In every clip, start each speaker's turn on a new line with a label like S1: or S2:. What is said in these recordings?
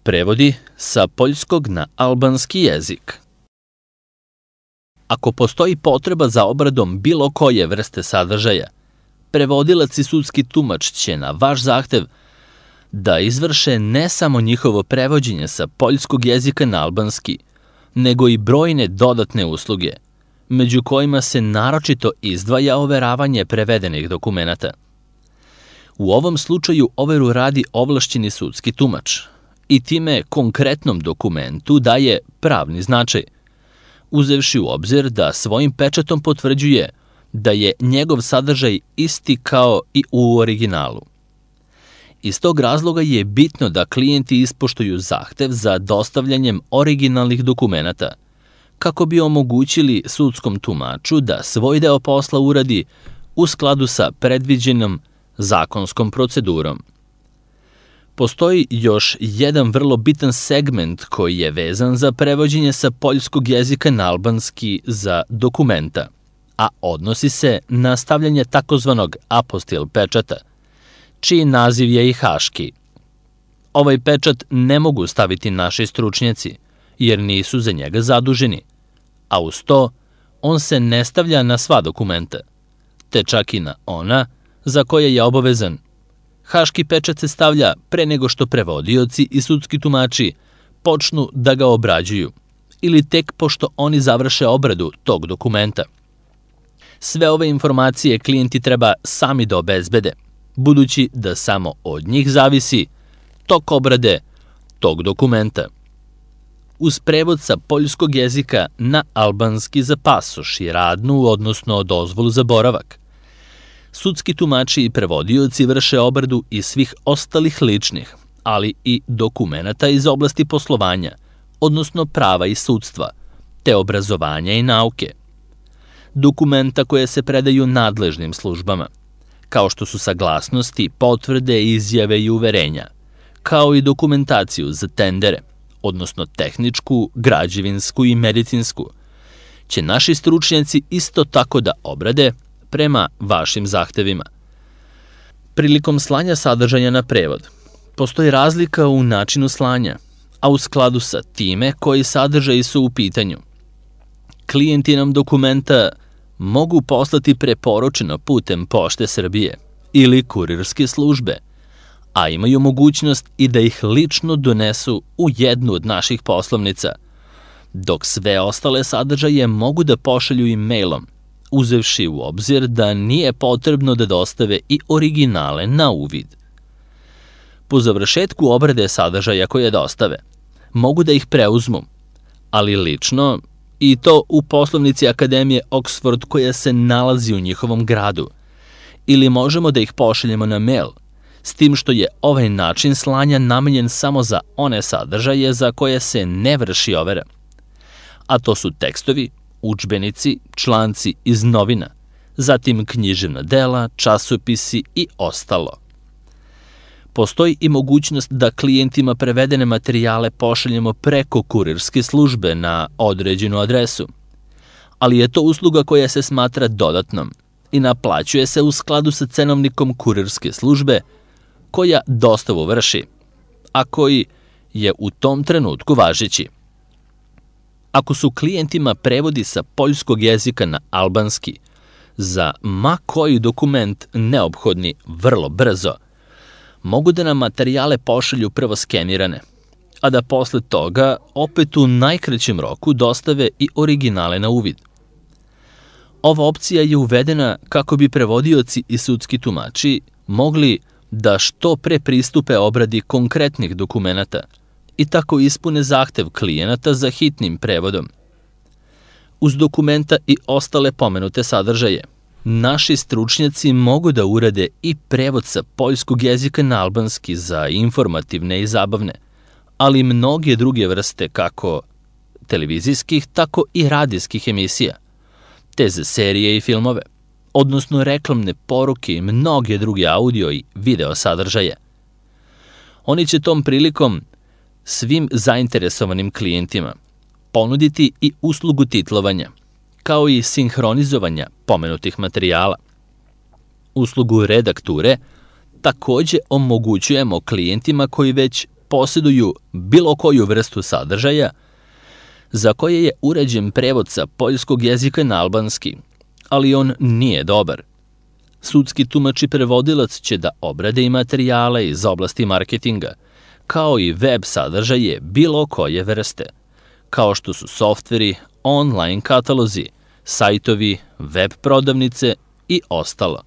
S1: Prevodi sa poljskog na albanski jezik. Ako postoji potreba za obradom bilo koje vrste sadržaja, prevodilac i sudski tumač će na vaš zahtev da izvrše ne samo njihovo prevođenje sa poljskog jezika na albanski, nego i brojne dodatne usluge, među kojima se naročito izdvaja overavanje prevedenih dokumenata. U ovom slučaju overu radi ovlašćeni sudski tumač i time konkretnom dokumentu daje pravni značaj, uzevši u obzir da svojim pečatom potvrđuje da je njegov sadržaj isti kao i u originalu. Iz tog razloga je bitno da klijenti ispoštuju zahtev za dostavljanjem originalnih dokumenata, kako bi omogućili sudskom tumaču da svoj deo posla uradi u skladu sa predviđenom zakonskom procedurom. Postoji još jedan vrlo bitan segment koji je vezan za prevođenje sa poljskog jezika na albanski za dokumenta, a odnosi se na stavljanje takozvanog apostil pečata, čiji naziv je i haški. Ovaj pečat ne mogu staviti naši stručnjaci, jer nisu za njega zaduženi, a uz to on se ne stavlja na sva dokumenta, te čak i na ona za koje je obavezan. Haški pečat se stavlja pre nego što prevodioci i sudski tumači počnu da ga obrađuju ili tek pošto oni završe obradu tog dokumenta. Sve ove informacije klijenti treba sami da obezbede, budući da samo od njih zavisi tok obrade tog dokumenta. Uz prevod sa poljskog jezika na albanski za pasoš i radnu, odnosno dozvolu za boravak, sudski tumači i prevodioci vrše obradu i svih ostalih ličnih, ali i dokumenata iz oblasti poslovanja, odnosno prava i sudstva, te obrazovanja i nauke. Dokumenta koje se predaju nadležnim službama, kao što su saglasnosti, potvrde, izjave i uverenja, kao i dokumentaciju za tendere, odnosno tehničku, građevinsku i medicinsku, će naši stručnjaci isto tako da obrade prema vašim zahtevima. Prilikom slanja sadržaja na prevod, postoji razlika u načinu slanja, a u skladu sa time koji sadržaji su u pitanju. Klijenti nam dokumenta mogu poslati preporučeno putem Pošte Srbije ili kurirske službe, a imaju mogućnost i da ih lično donesu u jednu od naših poslovnica, dok sve ostale sadržaje mogu da pošalju i mailom, uzevši u obzir da nije potrebno da dostave i originale na uvid. Po završetku obrade sadržaja koje dostave, mogu da ih preuzmu, ali lično, i to u poslovnici Akademije Oxford koja se nalazi u njihovom gradu, ili možemo da ih pošaljemo na mail, s tim što je ovaj način slanja namenjen samo za one sadržaje za koje se ne vrši overa, a to su tekstovi, udžbenici, članci iz novina, zatim književna dela, časopisi i ostalo. Postoji i mogućnost da klijentima prevedene materijale pošaljemo preko kurirske službe na određenu adresu, ali je to usluga koja se smatra dodatnom i naplaćuje se u skladu sa cenovnikom kurirske službe koja dostavu vrši, a koji je u tom trenutku važeći. Ako su klijentima prevodi sa poljskog jezika na albanski za ma koji dokument neophodni vrlo brzo, mogu da nam materijale pošalju prvo skenirane, a da posle toga opet u najkraćem roku dostave i originale na uvid. Ova opcija je uvedena kako bi prevodioci i sudski tumači mogli da što pre pristupe obradi konkretnih dokumenata i tako ispune zahtev klijenata za hitnim prevodom. Uz dokumenta i ostale pomenute sadržaje, naši stručnjaci mogu da urade i prevod sa poljskog jezika na albanski za informativne i zabavne, ali i mnoge druge vrste kako televizijskih, tako i radijskih emisija, te za serije i filmove, odnosno reklamne poruke i mnoge druge audio i video sadržaje. Oni će tom prilikom svim zainteresovanim klijentima ponuditi i uslugu titlovanja, kao i sinhronizovanja pomenutih materijala. Uslugu redakture takođe omogućujemo klijentima koji već posjeduju bilo koju vrstu sadržaja za koje je uređen prevod sa poljskog jezika na albanski, ali on nije dobar. Sudski tumač i prevodilac će da obrade i materijale iz oblasti marketinga, kao i web sadržaje bilo koje vrste, kao što su softveri, online katalozi, sajtovi, web prodavnice i ostalo.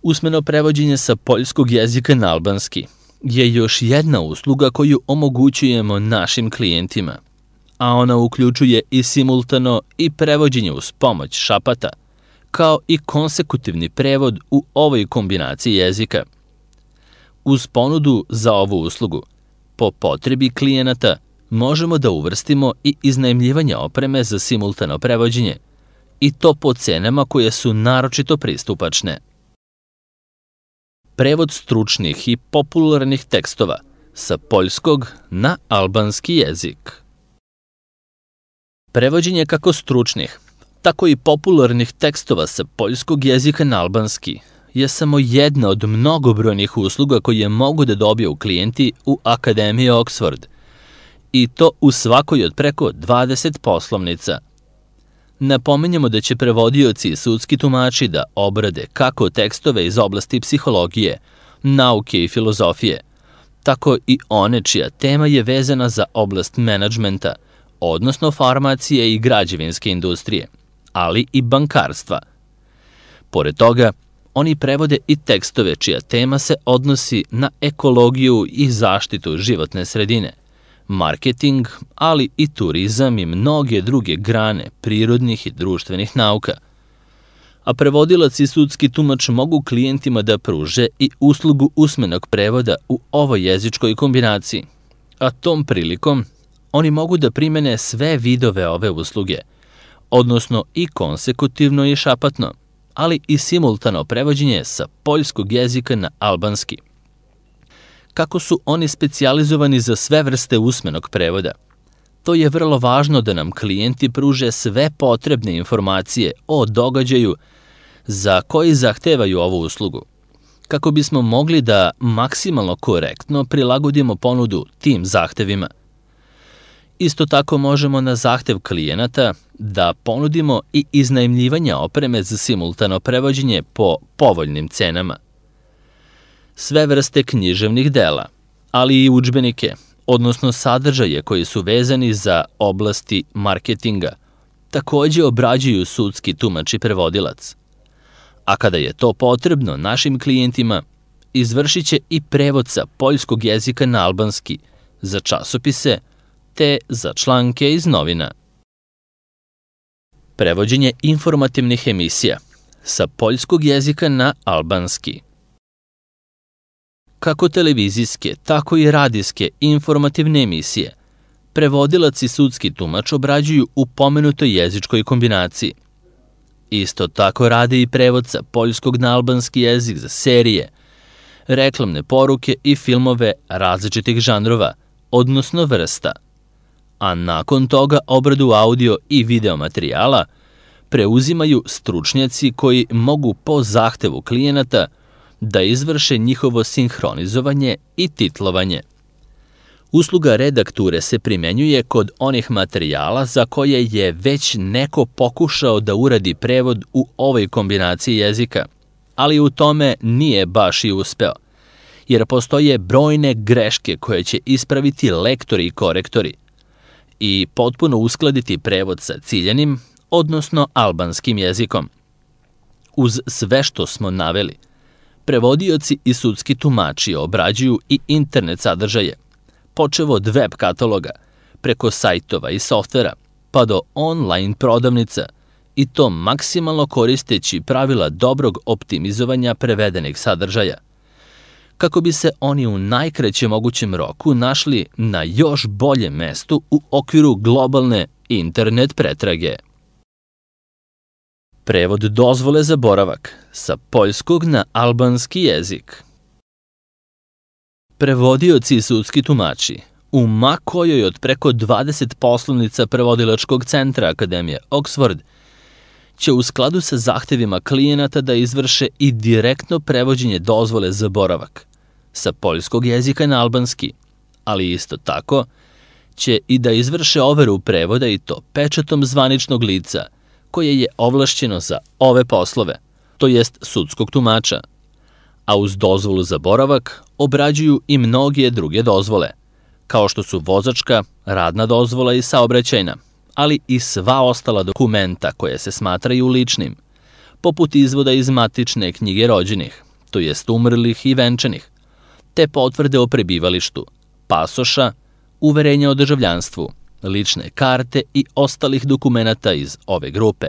S1: Usmeno prevođenje sa poljskog jezika na albanski je još jedna usluga koju omogućujemo našim klijentima, a ona uključuje i simultano i prevođenje uz pomoć šapata, kao i konsekutivni prevod u ovoj kombinaciji jezika. Uz ponudu za ovu uslugu, po potrebi klijenata, možemo da uvrstimo i iznajmljivanje opreme za simultano prevođenje, i to po cenama koje su naročito pristupačne. Prevod stručnih i popularnih tekstova sa poljskog na albanski jezik. Prevođenje kako stručnih, tako i popularnih tekstova sa poljskog jezika na albanski je samo jedna od mnogobrojnih usluga koje mogu da dobiju klijenti u Akademiji Oxford, i to u svakoj od preko 20 poslovnica. Napominjemo da će prevodioci i sudski tumači da obrade kako tekstove iz oblasti psihologije, nauke i filozofije, tako i one čija tema je vezana za oblast menadžmenta, odnosno farmacije i građevinske industrije, ali i bankarstva. Pored toga, oni prevode i tekstove čija tema se odnosi na ekologiju i zaštitu životne sredine, marketing, ali i turizam i mnoge druge grane prirodnih i društvenih nauka. A prevodilac i sudski tumač mogu klijentima da pruže i uslugu usmenog prevoda u ovoj jezičkoj kombinaciji, a tom prilikom oni mogu da primene sve vidove ove usluge, odnosno i konsekutivno i šapatno, ali i simultano prevođenje sa poljskog jezika na albanski. Kako su oni specijalizovani za sve vrste usmenog prevoda, to je vrlo važno da nam klijenti pruže sve potrebne informacije o događaju za koji zahtevaju ovu uslugu, kako bismo mogli da maksimalno korektno prilagodimo ponudu tim zahtevima. Isto tako možemo na zahtev klijenata da ponudimo i iznajmljivanje opreme za simultano prevođenje po povoljnim cenama. Sve vrste književnih dela, ali i udžbenike, odnosno sadržaje koji su vezani za oblasti marketinga, takođe obrađuju sudski tumač i prevodilac. A kada je to potrebno našim klijentima, izvršit će i prevod sa poljskog jezika na albanski za časopise te za članke iz novina. Prevođenje informativnih emisija sa poljskog jezika na albanski. Kako televizijske, tako i radijske informativne emisije, prevodilac i sudski tumač obrađuju u pomenutoj jezičkoj kombinaciji. Isto tako rade i prevod sa poljskog na albanski jezik za serije, reklamne poruke i filmove različitih žanrova, odnosno vrsta. A nakon toga obradu audio i video materijala preuzimaju stručnjaci koji mogu po zahtevu klijenata da izvrše njihovo sinhronizovanje i titlovanje. Usluga redakture se primenjuje kod onih materijala za koje je već neko pokušao da uradi prevod u ovoj kombinaciji jezika, ali u tome nije baš i uspeo, jer postoje brojne greške koje će ispraviti lektori i korektori i potpuno uskladiti prevod sa ciljanim, odnosno albanskim jezikom. Uz sve što smo naveli, prevodioci i sudski tumači obrađuju i internet sadržaje, počev od web kataloga, preko sajtova i softvera, pa do online prodavnica, i to maksimalno koristeći pravila dobrog optimizovanja prevedenih sadržaja, kako bi se oni u najkraćem mogućem roku našli na još boljem mestu u okviru globalne internet pretrage. Prevod dozvole za boravak sa poljskog na albanski jezik. Prevodioci i sudski tumači u ma kojoj od preko 20 poslovnica prevodilačkog centra Akademije Oxford će u skladu sa zahtevima klijenata da izvrše i direktno prevođenje dozvole za boravak sa poljskog jezika na albanski, ali isto tako će i da izvrše overu prevoda i to pečatom zvaničnog lica koje je ovlašćeno za ove poslove, to jest sudskog tumača, a uz dozvolu za boravak obrađuju i mnoge druge dozvole, kao što su vozačka, radna dozvola i saobraćajna, ali i sva ostala dokumenta koje se smatraju ličnim, poput izvoda iz matične knjige rođenih, to jest umrlih i venčanih, te potvrde o prebivalištu, pasoša, uverenja o državljanstvu, lične karte i ostalih dokumenata iz ove grupe.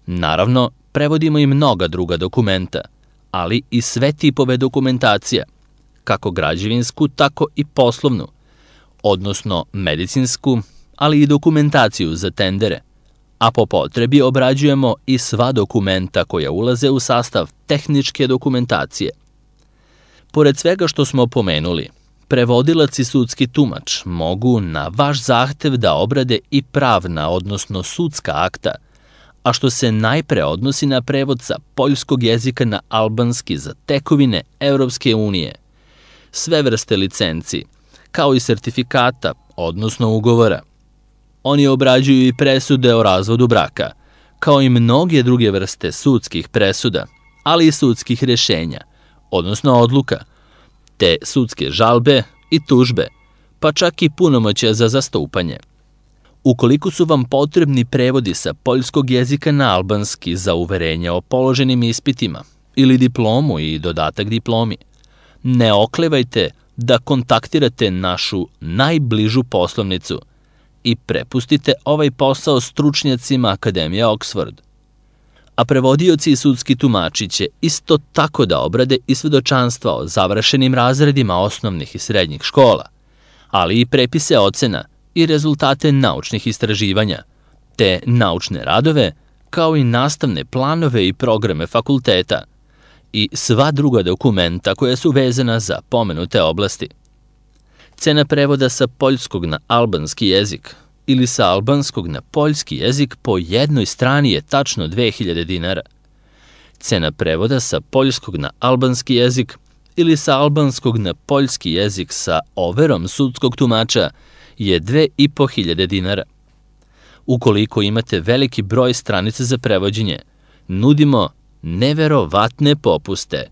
S1: Naravno, prevodimo i mnoga druga dokumenta, ali i sve tipove dokumentacija, kako građevinsku, tako i poslovnu, odnosno medicinsku, ali i dokumentaciju za tendere, a po potrebi obrađujemo i sva dokumenta koja ulaze u sastav tehničke dokumentacije. Pored svega što smo pomenuli, prevodilac i sudski tumač mogu na vaš zahtev da obrade i pravna, odnosno sudska akta, a što se najpre odnosi na prevod sa poljskog jezika na albanski za tekovine Evropske unije, sve vrste licenci, kao i sertifikata, odnosno ugovora. Oni obrađuju i presude o razvodu braka, kao i mnoge druge vrste sudskih presuda, ali i sudskih rešenja, odnosno odluka, te sudske žalbe i tužbe, pa čak i punomoćja za zastupanje. Ukoliko su vam potrebni prevodi sa poljskog jezika na albanski za uverenje o položenim ispitima ili diplomu i dodatak diplomi, ne oklevajte da kontaktirate našu najbližu poslovnicu i prepustite ovaj posao stručnjacima Akademije Oxford. A prevodioci i sudski tumači će isto tako da obrade i svedočanstva o završenim razredima osnovnih i srednjih škola, ali i prepise ocena i rezultate naučnih istraživanja, te naučne radove, kao i nastavne planove i programe fakulteta i sva druga dokumenta koja su vezana za pomenute oblasti. Cena prevoda sa poljskog na albanski jezik ili sa albanskog na poljski jezik po jednoj strani je tačno 2000 dinara. Cena prevoda sa poljskog na albanski jezik ili sa albanskog na poljski jezik sa overom sudskog tumača je 2500 dinara. Ukoliko imate veliki broj stranica za prevođenje, nudimo neverovatne popuste.